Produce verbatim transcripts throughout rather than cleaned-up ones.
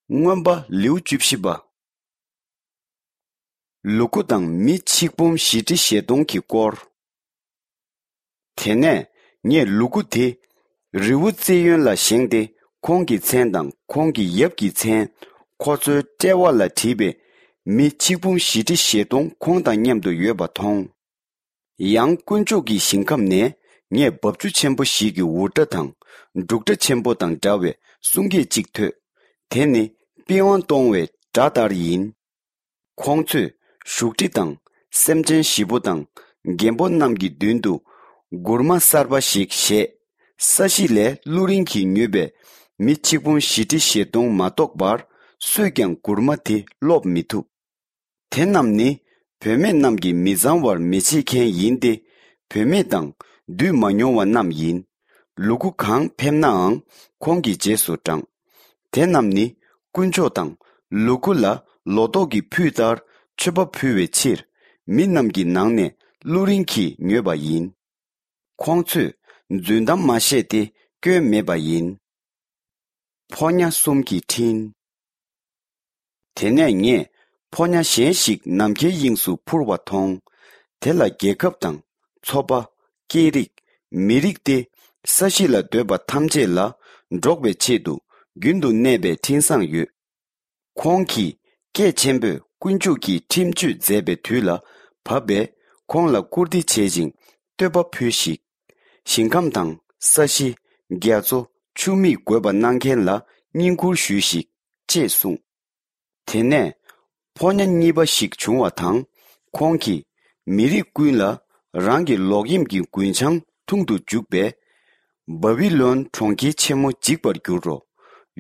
མངོན་པ་ལེའུ་བཅུ་བཞི་པ། ལུ་གུ་དང་མི་ཆིག་འབུམ་བཞི་ཁྲི་བཞི་སྟོང་གི་སྐོར། དེ་ནས་ངས་ལུ་གུ་དེ་རི་བོ་ཙི་ཡོན་ལ་བཞེངས་ཏེ། ཁོང་གི་མཚན་དང་ཁོང་གི་ཡབ་ཀྱི་མཚན། ཁོ་ཚོའི་དཔྲལ་བ་ལ་བྲིས་པའི་མི་ཆིག་འབུམ་བཞི་ཁྲི་བཞི་སྟོང་ཁོང་དང་མཉམ་དུ་ཡོད་པ་མཐོང་། ཡང་དཀོན་མཆོག་གི་ཞིང་ཁམས་ནས་ངས་འབབ་ཆུ་ཆེན་པོ་ཞིག་གི་འུར་སྒྲ་དང་འབྲུག་སྒྲ་ཆེན་པོ་དང་འདྲ་བའི་གསུང་སྐད་ཅིག་ཐོས། དེ་ནི་པི་ཝང་གཏོང་བའི་སྒྲ་ལྟར་ཡིན། ཁོང་ཚོས་བཞུགས་ཁྲི་དང་སེམས་ཅན་བཞི་པོ་དང་རྒན་པོ་རྣམས་ཀྱི་མདུན་དུ་མགུར་མ་གསར་པ་ཞིག་བཞེས། ས་གཞི་ལས་གླུ་རིན་གྱིས་ཉོས་པའི་མི་ཆིག་འབུམ་བཞི་ཁྲི་བཞི་སྟོང་མ་གཏོགས་པར་སུས་ཀྱང་མགུར་མ་དེ་སློབ་མི་ཐུབ། དེ་རྣམས་ནི་བུད་མེད་རྣམས་ཀྱིས་མི་གཙང་བར་མི་བྱེད་མཁན་ཡིན་ཏེ། བུད་མེད་དང་འདུས་མ་མྱོང་བ་རྣམས་ཡིན། ལུ་གུ་གང་ཕེབས་ནའང་ཁོང་གི་རྗེས་སུ་འབྲང་། དེ་རྣམས་ནི་དཀོན་མཆོག་དང་ལུ་གུ་ལ་ལོ་ཏོག་གི་ཕུད་ལྟར་མཆོད་པ་ཕུལ་བའི་ཕྱིར། མི་རྣམས་ཀྱི་ནང་ནས་གླུ་རིན་གྱིས་ཉོས་པ་ཡིན། ཁོང་ཚོས་རྫུན་གཏམ་མ་བཤད་དེ་སྐྱོན་མེད་པ་ཡིན། ཕོ་ཉ་གསུམ་གྱི་འཕྲིན། དེ་ནས་ངས་ཕོ་ཉ་གཞན་ཞིག་ནམ་མཁའི་དབྱིངས་སུ་འཕུར་བ་མཐོང་། དེ་ལ་རྒྱལ་ཁབ་དང་ཚོ་པ། སྐད་རིགས། མི་རིགས་ཏེ། ས་གཞི་ལ་སྡོད་པ་ཐམས་ཅད་ལ་སྒྲོག་པའི་ཆེད་དུ་རྒྱུན་དུ་གནས་པའི་འཕྲིན་བཟང་ཡོད། ཁོང་གིས་སྐད་ཆེན་པོས་དཀོན་མཆོག་གིས་ཁྲིམས་གཅོད་མཛད་པའི་དུས་ལ་བབ་པས། ཁོང་ལ་བཀུར་སྟི་བྱེད་ཅིང་བསྟོད་པ་ཕུལ་ཞིག། ཞིང་ཁམས་དང་ས་གཞི། རྒྱ་མཚོ། ཆུ་མིག་དགོད་པ་གནང་མཁན་ལ་བསྙེན་བཀུར་ཞུས་ཤིག། ཅེས་གསུངས། དེ་ནས་ཕོ་ཉ་གཉིས་པ་ཞིག་བྱུང་བ་དང་། ཁོང་གིས་མི་རིགས་ཀུན་ལ་རང་གི་ལོག་གཡེམ་གྱི་རྒུན་ཆང་འཐུང་དུ་འཇུག་པས། བ་བི་ལོན་གྲོང་ཁྱེར་ཆེན་མོ་འཇིག་པར་འགྱུར་རོ།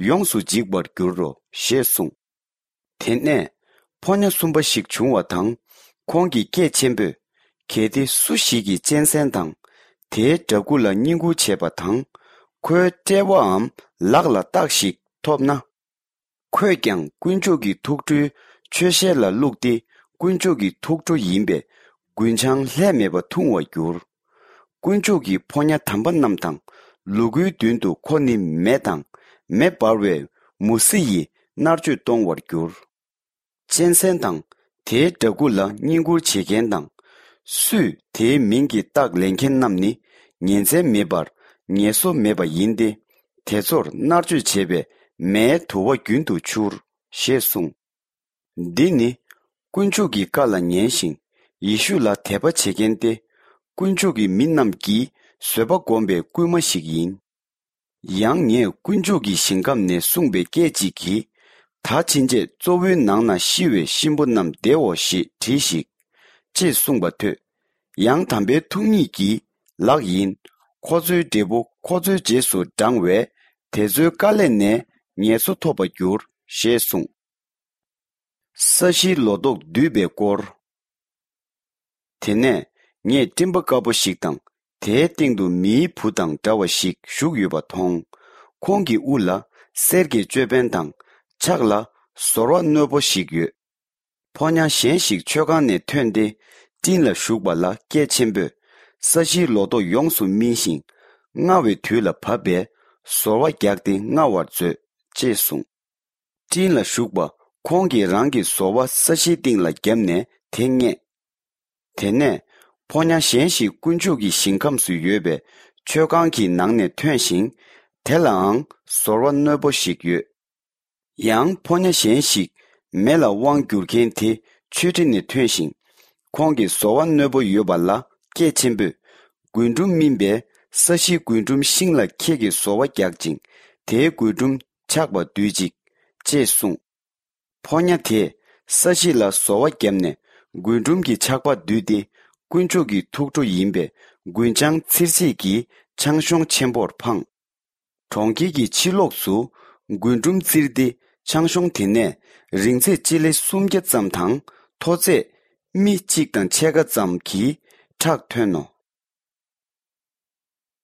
ཡོངས་སུ་འཇིག་པར་འགྱུར་རོ། ཞེས་གསུངས། དེ་ནས་ཕོ་ཉ་གསུམ་པ་ཞིག་བྱུང་བ་དང་། ཁོང་གིས་སྐད་ཆེན་པོས། གལ་ཏེ་སུ་ཞིག་གིས་གཅན་གཟན་དང་དེའི་འདྲ་སྐུ་ལ་བསྙེན་བཀུར་བྱས་པ་དང་། ཁོའི་དཔྲལ་བའམ་ལག་ལ་རྟགས་ཤིག་ཐོབ་ན། ཁོས་ཀྱང་དཀོན་མཆོག་གི་ཐུགས་ཁྲོའི་མཆོད་ཞལ་ལ་བླུགས་ཏེ། དཀོན་མཆོག་གི་ཐུགས་ཁྲོ་ཡིན་པས་རྒུན་ཆང་ལྷད་མེད་པ་འཐུང་བར་འགྱུར། དཀོན་མཆོག་གི་ཕོ་ཉ་དམ་པ་རྣམས་དང་། ལུ་གུའི་མདུན་དུ་ཁོ་ནི་མེ་དང་མེ་འབར་བའི་མུ་ཟི་ཡིས་མནར་གཅོད་གཏོང་བར་འགྱུར། གཅན་གཟན་དང་དེའི་འདྲ་སྐུ་ལ་བསྙེན་བཀུར་བྱེད་མཁན་དང་། སུས་དེའི་མིང་གི་རྟགས་ལེན་མཁན་རྣམས་ནི་ཉིན་མཚན་མེད་པར་ངལ་གསོ་མེད་པ་ཡིན་ཏེ། དེ་ཚོར་མནར་གཅོད་བྱེད་པའི་མེའི་དུ་བ་རྒྱུན་དུ་འཕྱུར། ཞེས་གསུངས། འདི་ནི་དཀོན་མཆོག་གི་བཀའ་ལ་ཉན་ཞིང་ཡེ་ཤུ་ལ་དད་པ་བྱེད་མཁན་ཏེ། དཀོན་མཆོག་གི་མི་རྣམས་ཀྱིས་བཟོད་པ་བསྒོམས་པའི་སྐུལ་མ་ཞིག་ཡིན། ཡང་ངས་དཀོན་མཆོག་གི་ཞིང་ཁམས་ནས་གསུངས་པའི་སྐད་ཅིག་གིས། ད་ཕྱིན་ཆད་གཙོ་བོའི་ནང་ན་ཤི་བའི་གཤིན་པོ་རྣམས་བདེའོ་ཞེས་བྲིས་ཤིག། ཅེས་གསུངས་པ་ཐོས། ཡང་དམ་པའི་ཐུགས་ཉིད་ཀྱིས། ལགས་ཡིན། ཁོ་ཚོའི་འབྲས་བུ་ཁོ་ཚོའི་རྗེས་སུ་འབྲང་བས། དེ་ཚོའི་དཀའ་ལས་ནས་ངལ་གསོ་ཐོབ་པར་འགྱུར། ཞེས་གསུངས། ས་གཞིའི་ལོ་ཏོག་བསྡུས་པའི་སྐོར། དེ་ནས་ངས་སྤྲིན་པ་དཀར་པོ་ཞིག་དང་། དེའི་སྟེང་དུ་མིའི་བུ་དང་འདྲ་བ་ཞིག་བཞུགས་ཡོད་པ་མཐོང་། ཁོང་གི་དབུ་ལ་གསེར་གྱི་ཅོད་པན་དང་། ཕྱག་ལ་ཟོར་བ་རྣོན་པོ་ཞིག་ཡོད། ཕོ་ཉ་གཞན་ཞིག་མཆོད་ཁང་ནས་ཐོན་ཏེ། སྤྲིན་ལ་ཞུགས་པ་ལ་སྐད་ཆེན་པོས། ས་གཞིའི་ལོ་ཏོག་ཡོངས་སུ་སྨིན་ཞིང་། རྔ་བའི་དུས་ལ་བབ་པས། ཟོར་བ་རྒྱག་སྟེ་རྔ་བར་མཛོད། ཅེས་གསུངས། སྤྲིན་ལ་ཞུགས་པ་ཁོང་གིས་རང་གི་ཟོར་བ་ས་གཞིའི་སྟེང་ལ་བརྒྱབ་ནས་དེ་བརྔས། དེ་ནས་ཕོ་ཉ་གཞན་ཞིག་དཀོན་མཆོག་གི་ཞིང་ཁམས་སུ་ཡོད་པའི་མཆོད་ཁང་གི་ནང་ནས་ཐོན་ཞིང་། དེ་ལའང་ཟོར་བ་རྣོན་པོ་ཞིག་ཡོད། ཡང་ཕོ་ཉ་གཞན་ཞིག་མེ་ལ་དབང་བསྒྱུར་མཁན་དེ་མཆོད་ཁྲི་ནས་ཐོན་ཞིང་། ཁོང་གིས་ཟོར་བ་རྣོན་པོ་ཡོད་པ་ལ་སྐད་ཆེན་པོས། རྒུན་འབྲུམ་སྨིན་པས་ས་གཞིའི་རྒུན་འབྲུམ་ཤིང་ལ་ཁྱེད་ཀྱིས་ཟོར་བ་རྒྱག་ཅིང་། དེའི་རྒུན་འབྲུམ་ཆག་པ་སྡུད་ཅིག། ཅེས་གསུངས། ཕོ་ཉ་དེས་ས་གཞི་ལ་ཟོར་བ་བརྒྱབ་ནས་རྒུན་འབྲུམ་གྱི་ཆག་པ་བསྡུས་ཏེ། དཀོན་མཆོག་གི་ཐུགས་ཁྲོ་ཡིན་པས་རྒུན་ཆང་འཚིར་བྱེད་ཀྱི་ཆང་གཞོང་ཆེན་པོར་འཕངས། གྲོང་ཁྱེར་གྱི་ཕྱི་ལོགས་སུ་རྒུན་འབྲུམ་བཙིར་ཏེ། ཆང་གཞོང་དེ་ནས་རིང་ཚད་སྤྱི་ལེ་སུམ་བརྒྱ་ཙམ་དང་། མཐོ་ཚད་སྨི་གཅིག་དང་ཕྱེད་ཀ་ཙམ་གྱི་ཁྲག་ཐོན་ནོ།